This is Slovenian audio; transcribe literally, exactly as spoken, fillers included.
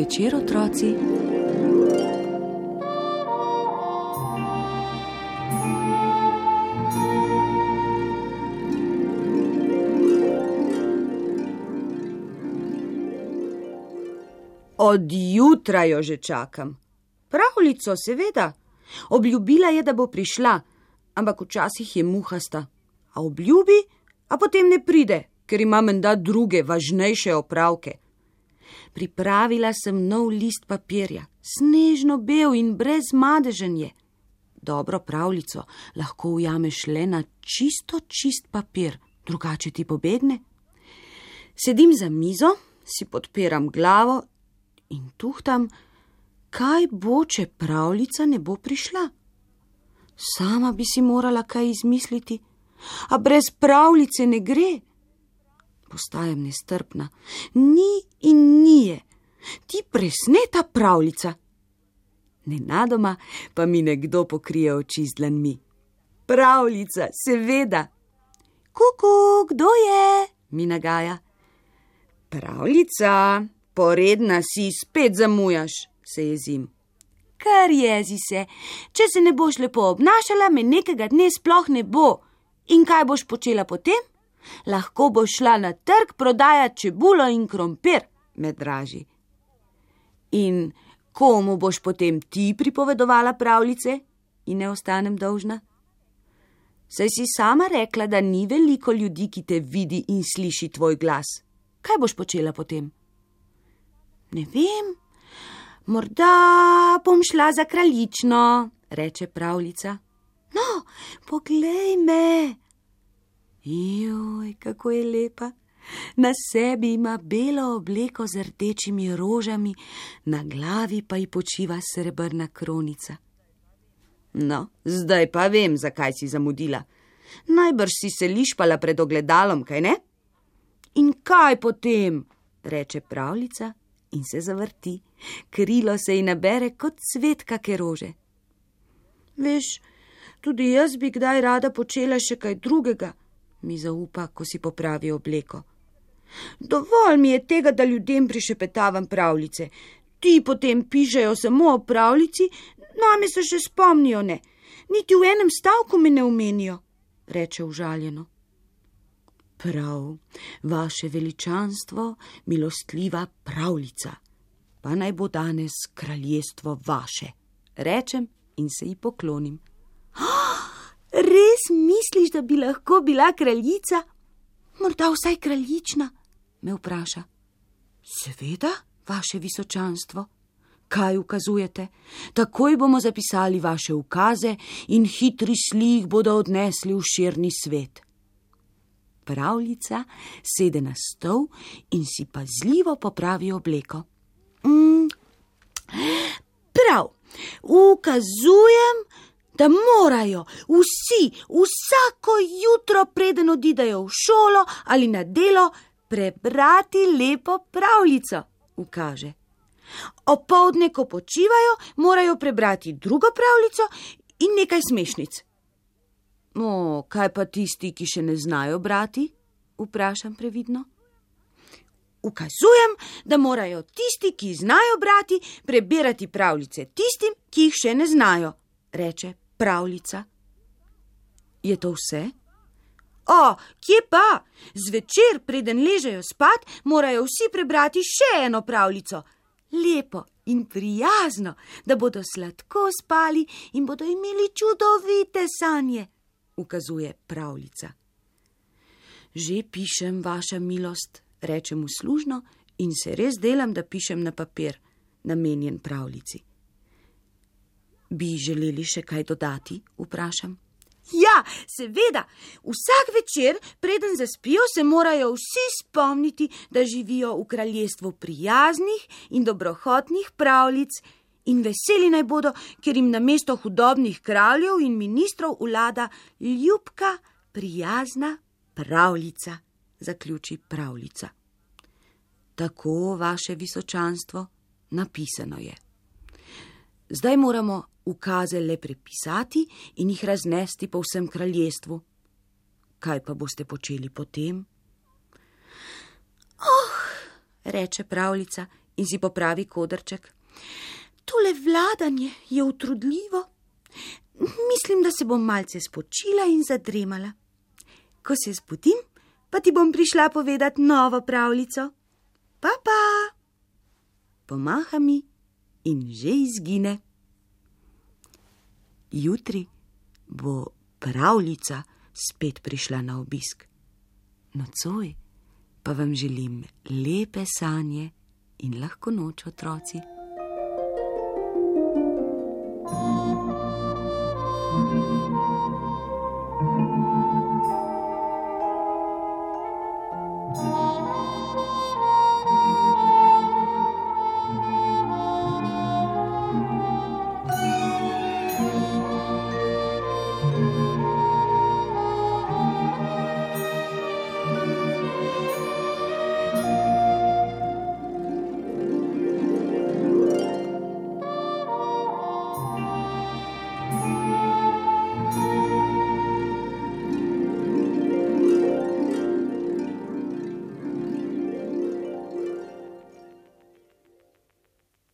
večer, otroci. Od jutra jo že čakam. Pravljico, seveda. Obljubila je, da bo prišla, ampak včasih je muhasta. A obljubi, a potem ne pride, ker ima menda druge, važnejše opravke. Pripravila sem nov list papirja, snežno bel in brez madežen je. Dobro pravljico lahko ujameš le na čisto čist papir, drugače ti pobegne. Sedim za mizo, si podpiram glavo in tuhtam, kaj bo, če pravljica ne bo prišla. Sama bi si morala kaj izmisliti, a brez pravljice ne gre. Postajam nestrpna. Ni in nije. Ti presneta pravljica. Nenadoma pa mi nekdo pokrije oči z dlanmi. Pravljica, seveda. Kuku, kdo je? Mi nagaja. Pravljica, poredna si, spet zamujaš, se jezim. Kar jezi se, če se ne boš lepo obnašala, me nekega dne sploh ne bo. In kaj boš počela potem? Lahko boš šla na trg prodajati čebulo in krompir, me draži. In komu boš potem ti pripovedovala pravljice in ne ostanem dolžna? Saj si sama rekla, da ni veliko ljudi, ki te vidi in sliši tvoj glas. Kaj boš počela potem? Ne vem, morda bom šla za kraljično, reče pravljica. No, poglej me. Joj, kako je lepa. Na sebi ima belo obleko z rdečimi rožami, na glavi pa ji počiva srebrna kronica. No, zdaj pa vem, zakaj si zamudila. Najbrž si se lišpala pred ogledalom, kaj ne? In kaj potem, reče pravljica in se zavrti. Krilo se ji nabere kot cvet kake rože. Veš, tudi jaz bi kdaj rada počela še kaj drugega, mi zaupa, ko si popravi obleko. Dovolj mi je tega, da ljudem prišepetavam pravljice. Ti potem pišejo samo o pravljici, name se še spomnijo ne. Niti v enem stavku me ne omenijo, reče užaljeno. Prav, vaše veličanstvo, milostljiva pravljica, pa naj bo danes kraljestvo vaše, rečem in se ji poklonim. Res misliš, da bi lahko bila kraljica? Morda vsaj kraljična, me vpraša. Seveda, vaše visočanstvo. Kaj ukazujete? Takoj bomo zapisali vaše ukaze in hitri slih bodo odnesli v širni svet. Pravljica sede na stol in si pazljivo popravi obleko. Mm, prav, ukazujem, da morajo vsi vsako jutro, preden odidejo v šolo ali na delo, prebrati lepo pravljico, ukaže. Opoldne, ko počivajo, morajo prebrati drugo pravljico in nekaj smešnic. O, kaj pa tisti, ki še ne znajo brati? Vprašam previdno. Ukazujem, da morajo tisti, ki znajo brati, prebirati pravljice tistim, ki jih še ne znajo, reče pravljica. Je to vse? O, kje pa? Zvečer, preden ležejo spat, morajo vsi prebrati še eno pravljico. Lepo in prijazno, da bodo sladko spali in bodo imeli čudovite sanje, ukazuje pravljica. Že pišem, vaša milost, rečem uslužno in se res delam, da pišem na papir, namenjen pravljici. Bi želeli še kaj dodati, vprašam. Ja, seveda, vsak večer, preden zaspijo, se morajo vsi spomniti, da živijo v kraljestvu prijaznih in dobrohotnih pravljic in veseli naj bodo, ker jim namesto hudobnih kraljev in ministrov vlada ljubka, prijazna pravljica, zaključi pravljica. Tako, vaše visočanstvo, napisano je. Zdaj moramo ukaze le prepisati in jih raznesti po vsem kraljestvu. Kaj pa boste počeli potem? Oh, reče pravljica in si popravi kodrček. Tole vladanje je utrudljivo. Mislim, da se bom malce spočila in zadremala. Ko se zbudim, pa ti bom prišla povedati novo pravljico. Pa, pa! Pomaha mi in že izgine. Jutri bo pravljica spet prišla na obisk. Nocoj pa vam želim lepe sanje in lahko noč, otroci.